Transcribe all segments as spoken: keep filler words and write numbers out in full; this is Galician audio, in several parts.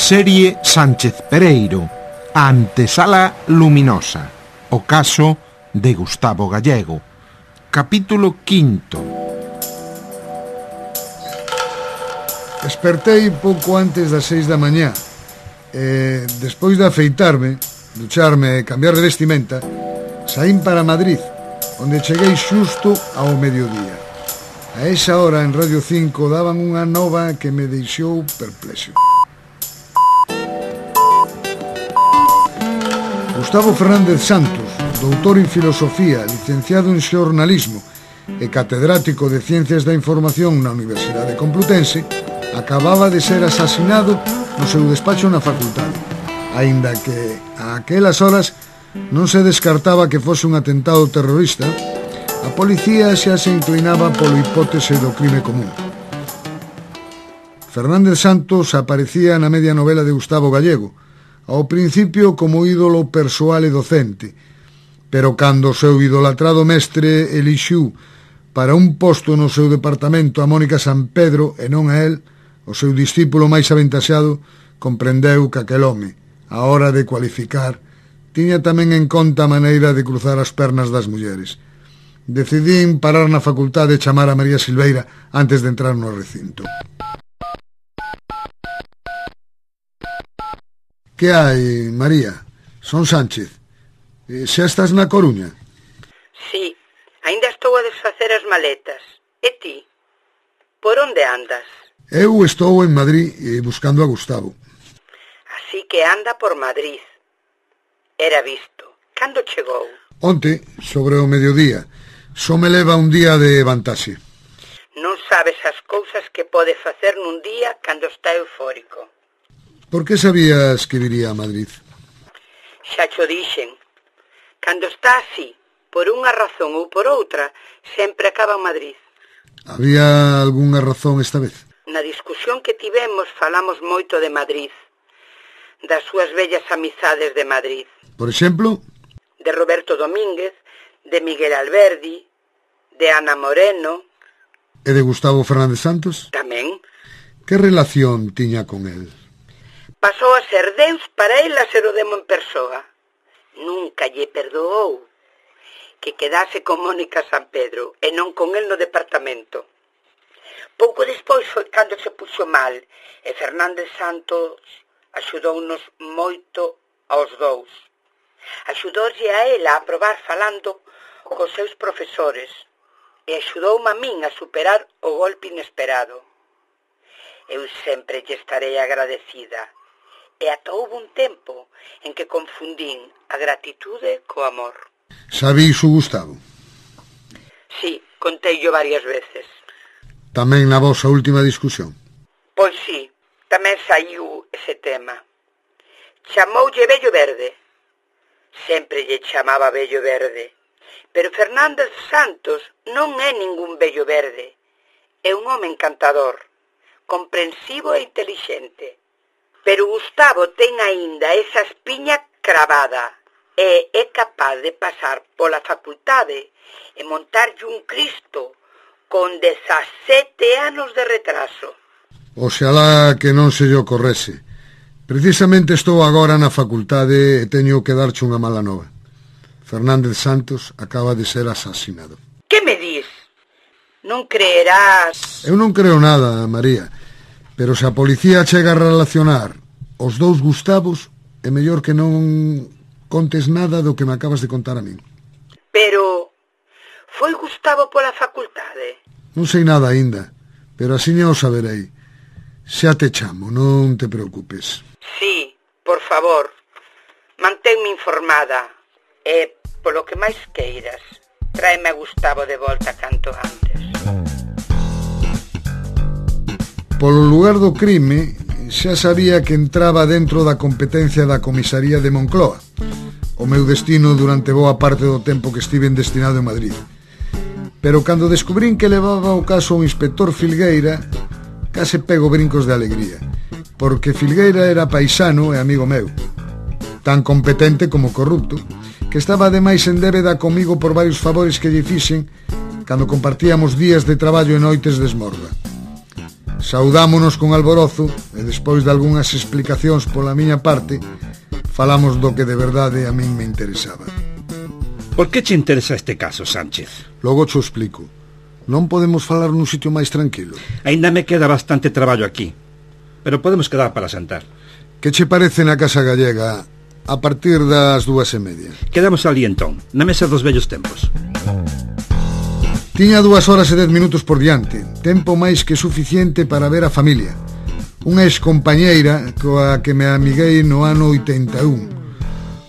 Serie Sánchez Pereiro, a antesala luminosa, o caso de Gustavo Gallego. Capítulo quinto. Despertei pouco antes das seis da mañá e, despois de afeitarme, ducharme e cambiar de vestimenta, saín para Madrid, onde cheguei xusto ao mediodía. A esa hora en Radio cinco daban unha nova que me deixou perplexo. Gustavo Fernández Santos, doutor en filosofía, licenciado en xornalismo e catedrático de Ciencias da Información na Universidade Complutense, acababa de ser asasinado no seu despacho na facultade, aínda que a aquelas horas non se descartaba que fose un atentado terrorista. A policía xa se inclinaba polo hipótese do crime común. Fernández Santos aparecía na media novela de Gustavo Gallego, ao principio como ídolo persoal e docente, pero cando o seu idolatrado mestre elixiu para un posto no seu departamento a Mónica Sampedro e non a él, o seu discípulo máis aventaxado, comprendeu que aquel home, a hora de cualificar, tiña tamén en conta a maneira de cruzar as pernas das mulleres. Decidín parar na facultade e chamar a María Silveira antes de entrar no recinto. Que hai, María? Son Sánchez. Xa estás na Coruña? Sí, aínda estou a desfacer as maletas. E ti? Por onde andas? Eu estou en Madrid buscando a Gustavo. Así que anda por Madrid. Era visto. Cando chegou? Onte, sobre o mediodía. Só me leva un día de vantaxe. Non sabes as cousas que pode facer nun día cando está eufórico. Por que sabías que viría a Madrid? Xa cho dixen. Cando está así, por unha razón ou por outra, sempre acaba en Madrid. Había algunha razón esta vez? Na discusión que tivemos falamos moito de Madrid, das súas vellas amizades de Madrid. Por exemplo? De Roberto Domínguez, de Miguel Alberdi, de Ana Moreno. E de Gustavo Fernández Santos? Tamén. Que relación tiña con el? Pasou a ser Deus para el a ser o demo en persoa. Nunca lle perdoou que quedase con Mónica Sampedro e non con el no departamento. Pouco despois foi cando se puxo mal e Fernández Santos axudounos moito aos dous. Axudoulle a ela a probar falando cos seus profesores e axudoume a min a superar o golpe inesperado. Eu sempre lle estarei agradecida e ata houve un tempo en que confundín a gratitude co amor. Sabís o Gustavo? Sí, conteillo varias veces. Tamén na vosa última discusión? Pois sí, tamén saiu ese tema. Chamoulle Vello Verde. Sempre lle chamaba Vello Verde. Pero Fernández Santos non é ningún vello verde. É un home encantador, comprensivo e intelixente. Pero Gustavo ten aínda esa espiña cravada e é capaz de pasar pola facultade e montarlle un Cristo con dezasete anos de retraso. Oxalá que non se lle ocorrese. Precisamente estou agora na facultade e teño que darche unha mala nova. Fernández Santos acaba de ser asasinado. Que me dis? Non creerás... Eu non creo nada, María. Pero se a policía chega a relacionar os dous Gustavos, é mellor que non contes nada do que me acabas de contar a min. Pero... foi Gustavo pola facultade? Non sei nada aínda, pero así o saberei. Xa te chamo, non te preocupes. Sí, por favor, manténme informada e, polo que máis queiras, tráeme a Gustavo de volta canto antes. Polo lugar do crime, xa sabía que entraba dentro da competencia da comisaría de Moncloa, o meu destino durante boa parte do tempo que estive destinado en Madrid. Pero cando descubrín que levaba o caso ao inspector Filgueira, case pego brincos de alegría, porque Filgueira era paisano e amigo meu, tan competente como corrupto, que estaba ademais en débeda comigo por varios favores que lle fixen cando compartíamos días de traballo e noites de esmorga. Saudámonos con alborozo e despois de algunhas explicacións pola miña parte, falamos do que de verdade a min me interesaba. Por que che interesa este caso, Sánchez? Logo cho explico. Non podemos falar nun sitio máis tranquilo? Ainda me queda bastante traballo aquí, pero podemos quedar para sentar. Que che parece na Casa Gallega a partir das dúas e media? Quedamos ali entón, na mesa dos vellos tempos. Tiña dúas horas e dez minutos por diante, tempo máis que suficiente para ver a familia. Unha excompañeira coa que me amiguei no ano oitenta e un.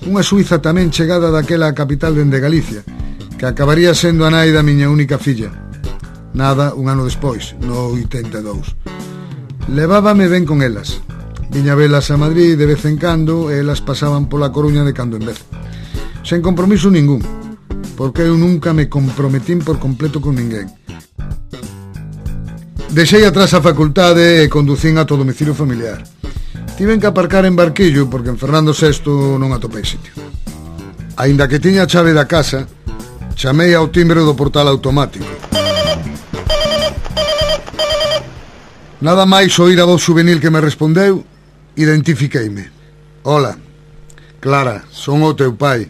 Unha suiza tamén chegada daquela capital dende Galicia, que acabaría sendo a nai da miña única filla. Nada, un ano despois, no oitenta e dous. Levábame ben con elas. Viña velas a Madrid de vez en cando e elas pasaban pola Coruña de cando en vez. Sen compromiso ningún, porque eu nunca me comprometín por completo con ninguén. Deixei atrás a facultade e conducín a todo domicilio familiar. Tiven que aparcar en Barquillo porque en Fernando sexto non atopei sitio. Aínda que tiña a chave da casa, chamei ao timbre do portal automático. Nada máis oír a voz juvenil que me respondeu, identifiqueime. Hola, Clara, son o teu pai.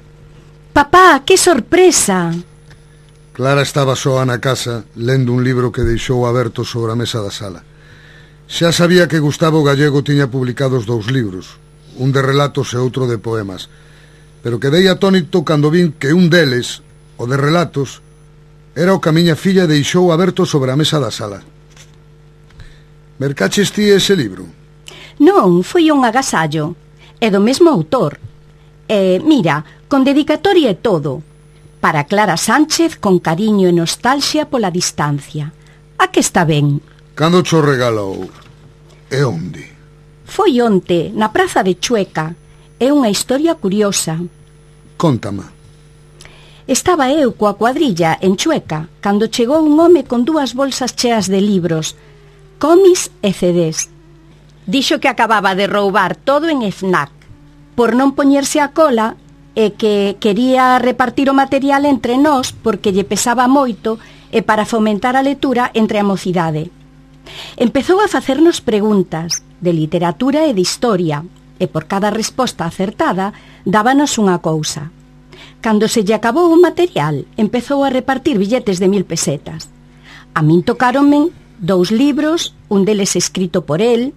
Papá, que sorpresa! Clara estaba soa na casa, lendo un libro que deixou aberto sobre a mesa da sala. Xa sabía que Gustavo Gallego tiña publicado os dous libros, un de relatos e outro de poemas, pero quedei atónito cando vin que un deles, o de relatos, era o que a miña filla deixou aberto sobre a mesa da sala. Mercaches ti ese libro? Non, foi un agasallo. É do mesmo autor. E, mira, con dedicatoria e todo. Para Clara Sánchez, con cariño e nostalgia pola distancia. A que está ben? Cando cho regalou? E onde? Foi onte, na praza de Chueca. É unha historia curiosa. Cóntama. Estaba eu coa cuadrilla en Chueca cando chegou un home con dúas bolsas cheas de libros, cómics e C Ds. Dixo que acababa de roubar todo en FNAC por non poñerse a cola e que quería repartir o material entre nós porque lle pesaba moito e para fomentar a lectura entre a mocidade. Empezou a facernos preguntas de literatura e de historia e por cada resposta acertada dábanos unha cousa. Cando se lle acabou o material, empezou a repartir billetes de mil pesetas. A min tocáronme dous libros, un deles escrito por el,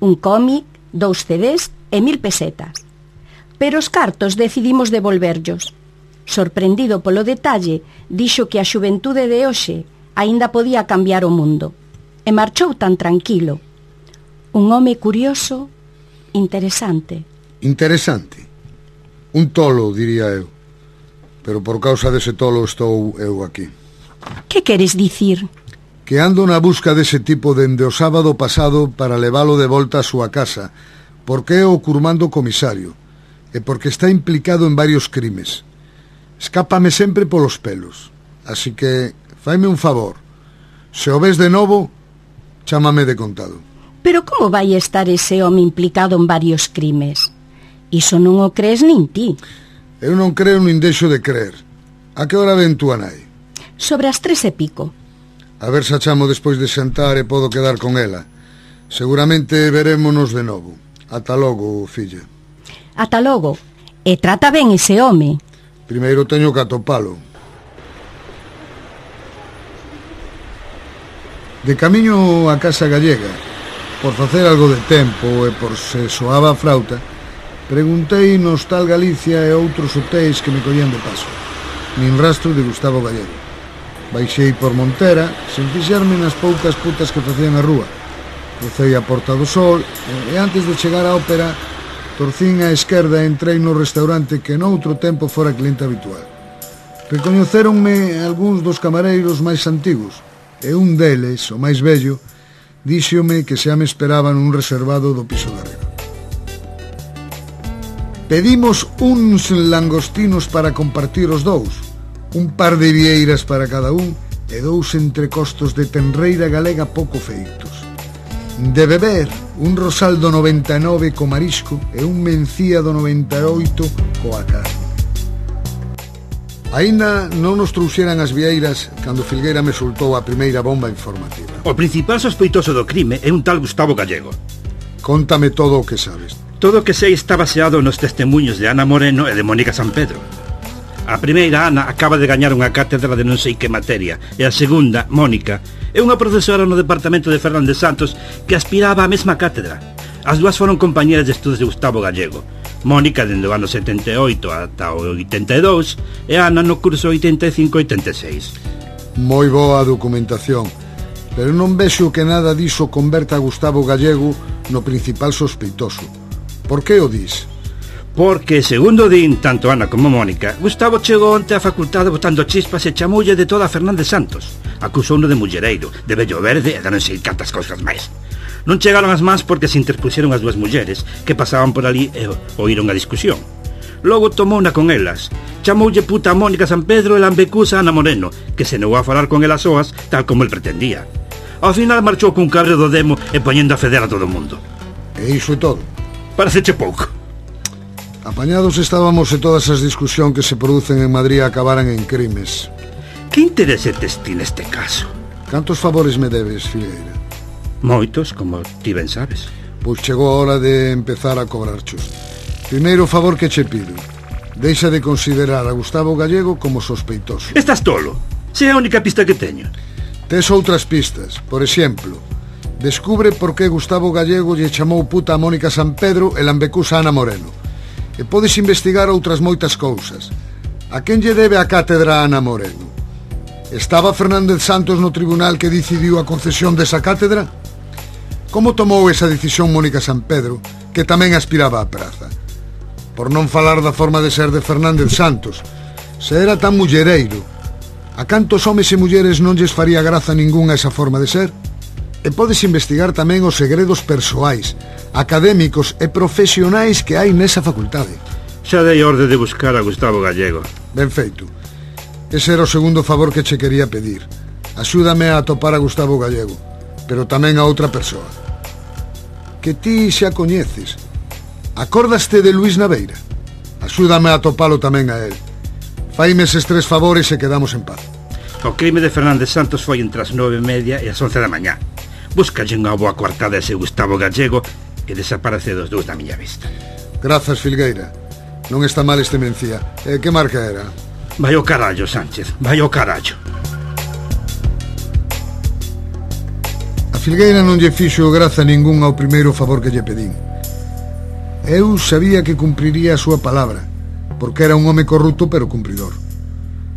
un cómic, dous C Ds e mil pesetas. Pero os cartos decidimos devolverllos. Sorprendido polo detalle, dixo que a xuventude de hoxe aínda podía cambiar o mundo. E marchou tan tranquilo. Un home curioso, interesante. Interesante? Un tolo, diría eu. Pero por causa dese tolo estou eu aquí. Que queres dicir? Que ando na busca dese tipo dende o sábado pasado para leválo de volta a súa casa, porque é o curmando comisario, e porque está implicado en varios crimes. Escápame sempre polos pelos, así que faime un favor. Se o ves de novo, chámame de contado. Pero como vai estar ese home implicado en varios crimes? Iso non o crees nin ti. Eu non creo nin deixo de creer. A que hora ven tú a nai? Sobre as tres e pico. A ver se a chamo despois de xantar e podo quedar con ela. Seguramente verémonos de novo. Ata logo, filla. Ata logo. E trata ben ese home. Primeiro teño que atopalo. De camiño á Casa Gallega, por facer algo de tempo e por se soaba a frauta, preguntei no Hostal Galicia e outros hotéis que me collían de paso. Nin rastro de Gustavo Gallego. Baixei por Montera, sen fixarme nas poucas putas que facían a rúa. Crucei a Porta do Sol e antes de chegar á ópera torcín á esquerda e entrei no restaurante que noutro tempo fora cliente habitual. Recoñecéronme algúns dos camareiros máis antigos e un deles, o máis vello, díxome que xa me esperaba nun reservado do piso de arriba. Pedimos uns langostinos para compartir os dous, un par de vieiras para cada un e dous entrecostos de tenreira galega pouco feitos. De beber, un rosal do noventa e nove co marisco e un mencía do noventa e oito coa carne. Aínda non nos trouxeran as vieiras cando Filgueira me soltou a primeira bomba informativa. O principal sospeitoso do crime é un tal Gustavo Gallego. Contame todo o que sabes. Todo o que sei está baseado nos testemunhos de Ana Moreno e de Mónica San Pedro. A primeira, Ana, acaba de gañar unha cátedra de non sei que materia, e a segunda, Mónica, é unha profesora no departamento de Fernández Santos que aspiraba á mesma cátedra. As dúas foron compañeras de estudos de Gustavo Gallego. Mónica dende o ano setenta e oito ata o oitenta e dous e Ana no curso oitenta e cinco oitenta e seis. Moi boa documentación, pero non vexo que nada diso converta a Gustavo Gallego no principal sospeitoso. Por que o dis? Porque, segundo din tanto Ana como Mónica, Gustavo chegou onte á facultade botando chispas e chamoulle de toda a Fernández Santos. Acusouno de mullereiro, de vello verde e de non sei cantas cousas máis. Non chegaron as mans porque se interpuxeron as dúas mulleres que pasaban por ali e oíron a discusión. Logo tomou una con elas. Chamoulle puta a Mónica San Pedro e lambecusa a Ana Moreno, que se negou a falar con elas soas tal como el pretendía. Ao final marchou cun cabreo do demo e poñendo a feder a todo o mundo. E iso é todo? Pareceche pouco. Apañados estábamos e todas as discusións que se producen en Madrid acabaran en crimes. Que interese tes ti neste caso? Cantos favores me debes, Filgueira? Moitos, como ti ben sabes. Pois chegou a hora de empezar a cobrarchos. Primeiro favor que che pido: deixa de considerar a Gustavo Gallego como sospeitoso. Estás tolo. Se é a única pista que teño. Tes outras pistas. Por exemplo, descubre por que Gustavo Gallego lle chamou puta a Mónica San Pedro e lambecusa a Ana Moreno. E podes investigar outras moitas cousas. A quen lle debe a cátedra a Ana Moreno? Estaba Fernández Santos no tribunal que decidiu a concesión desa cátedra? Como tomou esa decisión Mónica San Pedro, que tamén aspiraba á praza? Por non falar da forma de ser de Fernández Santos, se era tan mullereiro, a cantos homes e mulleres non lles faría graza ningunha esa forma de ser? E podes investigar tamén os segredos persoais, académicos e profesionais que hai nesa facultade. Xa dei orde de buscar a Gustavo Gallego. Ben feito. Ese era o segundo favor que che quería pedir. Axúdame a atopar a Gustavo Gallego, pero tamén a outra persoa que ti xa coñeces. Acórdaste de Luís Naveira? Axúdame a atopalo tamén a él. Faime eses tres favores e quedamos en paz. O crime de Fernández Santos foi entre as nove e media e as once da mañá. Búscalle unha boa coartada a ese Gustavo Gallego e desaparece dos dous da miña vista. Grazas, Filgueira. Non está mal este mencía. E que marca era? Vai ao carallo, Sánchez, vai ao carallo. Filgueira non lle fixo graza ningún ao primeiro favor que lle pedín. Eu sabía que cumpriría a súa palabra, porque era un home corrupto pero cumpridor.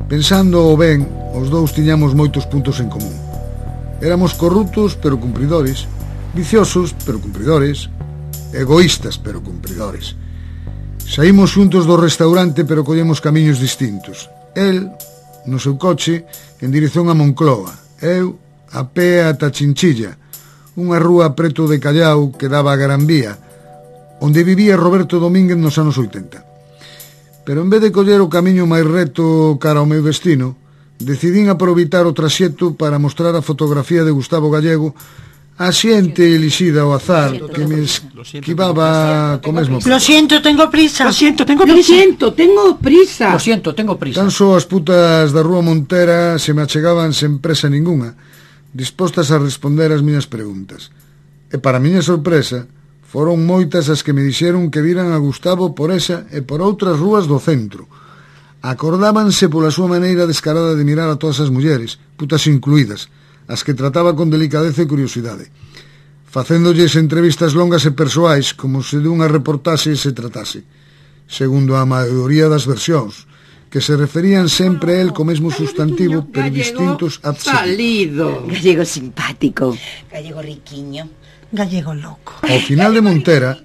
Pensando o ben, os dous tiñamos moitos puntos en común. Éramos corruptos pero cumpridores, viciosos pero cumpridores, egoístas pero cumpridores. Saímos xuntos do restaurante pero collemos camiños distintos. El, no seu coche, en dirección a Moncloa. Eu, a pé ata Chinchilla, unha rúa preto de Callao que daba a Gran Vía, onde vivía Roberto Domínguez nos anos oitenta. Pero en vez de coller o camiño máis reto cara ao meu destino, decidín aproveitar o traxecto para mostrar a fotografía de Gustavo Gallego a xente elixida ao azar que me esquivaba co mesmo. Lo siento, tengo prisa. Lo siento, tengo Lo prisa. siento, tengo prisa. Lo siento, tengo prisa. Tan só as putas da rúa Montera se me achegaban sen presa ningunha, dispostas a responder as miñas preguntas. E para miña sorpresa, foron moitas as que me dixeron que viran a Gustavo por esa e por outras rúas do centro. Acordábanse pola súa maneira descarada de mirar a todas as mulleres, putas incluídas, as que trataba con delicadeza e curiosidade, facéndolles entrevistas longas e persoais como se dunha reportaxe se tratase, segundo a maioría das versións, que se referían sempre a él co mesmo sustantivo, pero distintos salido. Gallego simpático. Gallego riquiño. Gallego loco. Ao final de Montera,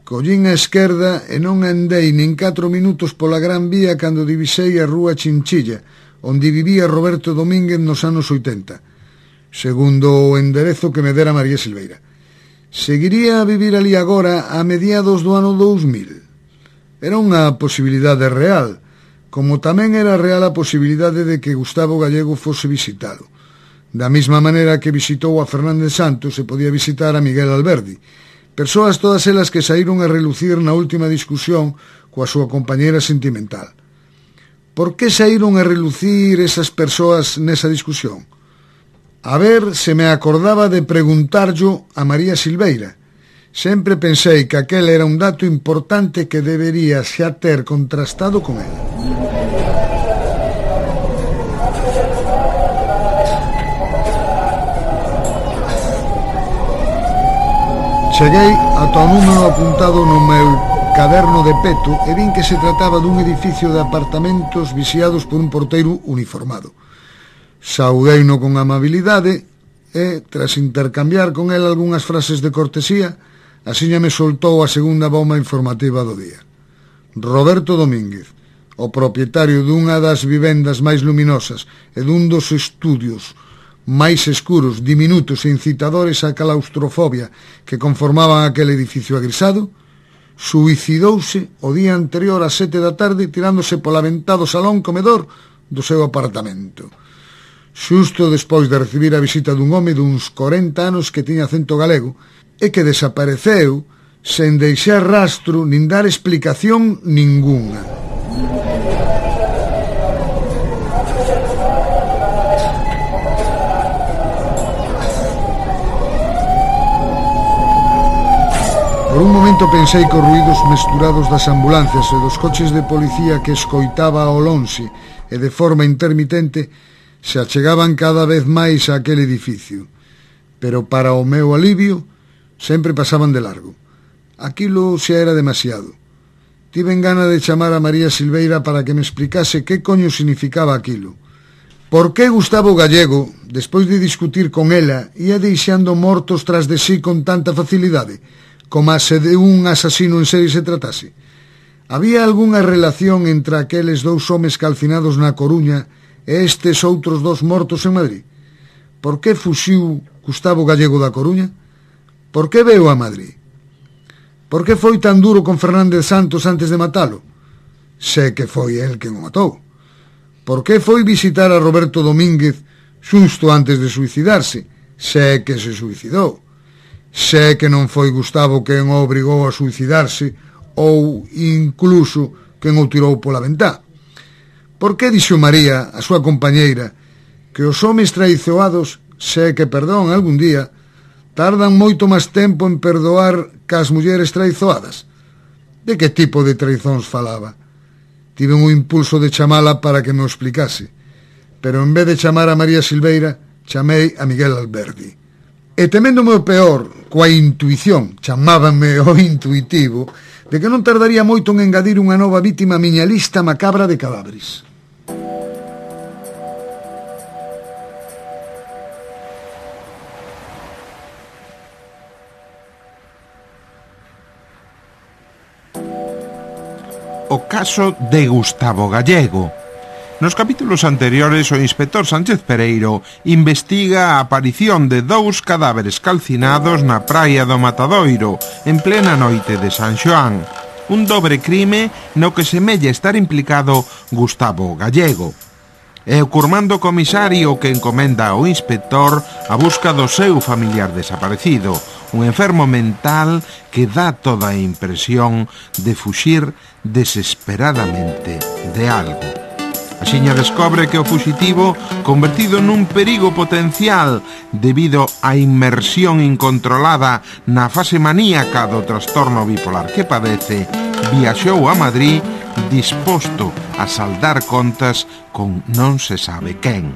collín a esquerda e non andei nin catro minutos pola Gran Vía cando divisei a rúa Chinchilla, onde vivía Roberto Domínguez nos anos oitenta, segundo o enderezo que me dera María Silveira. Seguiría a vivir ali agora a mediados do ano dous mil. Era unha posibilidade real, como tamén era real a posibilidade de que Gustavo Gallego fose visitado. Da mesma maneira que visitou a Fernández Santos e podía visitar a Miguel Alberdi, persoas todas elas que saíron a relucir na última discusión coa súa compañeira sentimental. Por que saíron a relucir esas persoas nesa discusión? A ver se me acordaba de preguntarllo a María Silveira. Sempre pensei que aquel era un dato importante que debería xa ter contrastado con ela. Cheguei ata o número apuntado no meu caderno de peto e vin que se trataba dun edificio de apartamentos vixiados por un porteiro uniformado. Saudeino con amabilidade e, tras intercambiar con el algunhas frases de cortesía, asiña me soltou a segunda bomba informativa do día. Roberto Domínguez, o propietario dunha das vivendas máis luminosas e dun dos estudios máis escuros, diminutos e incitadores á claustrofobia que conformaban aquel edificio agrisado, suicidouse o día anterior ás sete da tarde tirándose pola ventá do salón comedor do seu apartamento, xusto despois de recibir a visita dun home duns corenta anos que tiña acento galego e que desapareceu sen deixar rastro nin dar explicación ningunha. Por un momento pensei que os ruídos mesturados das ambulancias e dos coches de policía que escoitaba ao lonxe e de forma intermitente se achegaban cada vez máis a aquel edificio. Pero para o meu alivio sempre pasaban de largo. Aquilo xa era demasiado. Tiven gana de chamar a María Silveira para que me explicase que coño significaba aquilo. Por que Gustavo Gallego, despois de discutir con ela, ia deixando mortos tras de sí con tanta facilidade, como se de un asasino en serie se tratase? Había algunha relación entre aqueles dous homes calcinados na Coruña e estes outros dos mortos en Madrid? Por que fuxiu Gustavo Gallego da Coruña? Por que veu a Madrid? Por que foi tan duro con Fernández Santos antes de matalo? Sé que foi el quen o matou. Por que foi visitar a Roberto Domínguez xusto antes de suicidarse? Sé que se suicidou. Sé que non foi Gustavo quen o obrigou a suicidarse ou incluso quen o tirou pola ventá. Por que dixo María, a súa compañeira, que os homes traizoados, sé que perdón algún día, tardan moito máis tempo en perdoar que as mulleres traizoadas? De que tipo de traizóns falaba? Tive un impulso de chamala para que me o explicase, pero en vez de chamar a María Silveira, chamei a Miguel Alberdi. E teméndome o peor, coa intuición, chamábame o intuitivo, de que non tardaría moito en engadir unha nova vítima á miña lista macabra de cadáveres. O caso de Gustavo Gallego. Nos capítulos anteriores, o inspector Sánchez Pereiro investiga a aparición de dous cadáveres calcinados na praia do Matadoiro, en plena noite de San Xoán. Un dobre crime no que semella estar implicado Gustavo Gallego. É o curmando comisario que encomenda ao inspector a busca do seu familiar desaparecido, un enfermo mental que dá toda a impresión de fuxir desesperadamente de algo. Axiña descobre que o fuxitivo, convertido nun perigo potencial debido á inmersión incontrolada na fase maníaca do trastorno bipolar que padece, viaxou a Madrid disposto a saldar contas con non se sabe quen.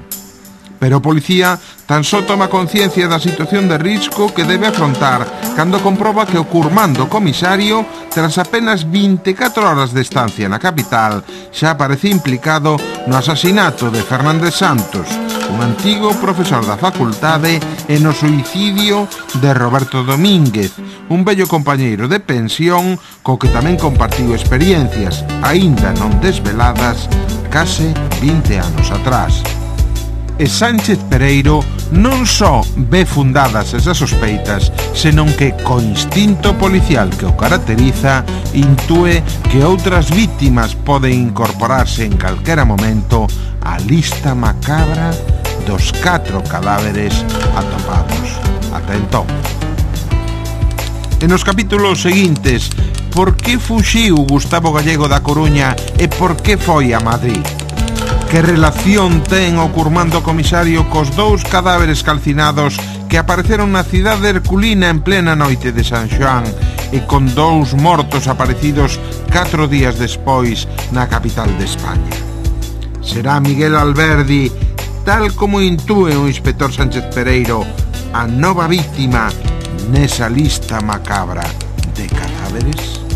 Pero o policía tan só toma conciencia da situación de risco que debe afrontar cando comproba que o curmando comisario, tras apenas vinte e catro horas de estancia na capital, xa aparece implicado no asasinato de Fernández Santos, un antigo profesor da facultade, e no suicidio de Roberto Domínguez, un vello compañeiro de pensión co que tamén compartiu experiencias, aínda non desveladas, case vinte anos atrás. E Sánchez Pereiro non só ve fundadas esas sospeitas, senón que, co instinto policial que o caracteriza, intúe que outras vítimas poden incorporarse en calquera momento á lista macabra dos catro cadáveres atopados. Ata entón. E nos capítulos seguintes, por que fuxiu Gustavo Gallego da Coruña e por que foi a Madrid? Que relación ten o curmando comisario cos dous cadáveres calcinados que apareceron na cidade herculina en plena noite de San Xoán e con dous mortos aparecidos catro días despois na capital de España? Será Miguel Alberdi, tal como intúe o inspector Sánchez Pereiro, a nova víctima nesa lista macabra de cadáveres?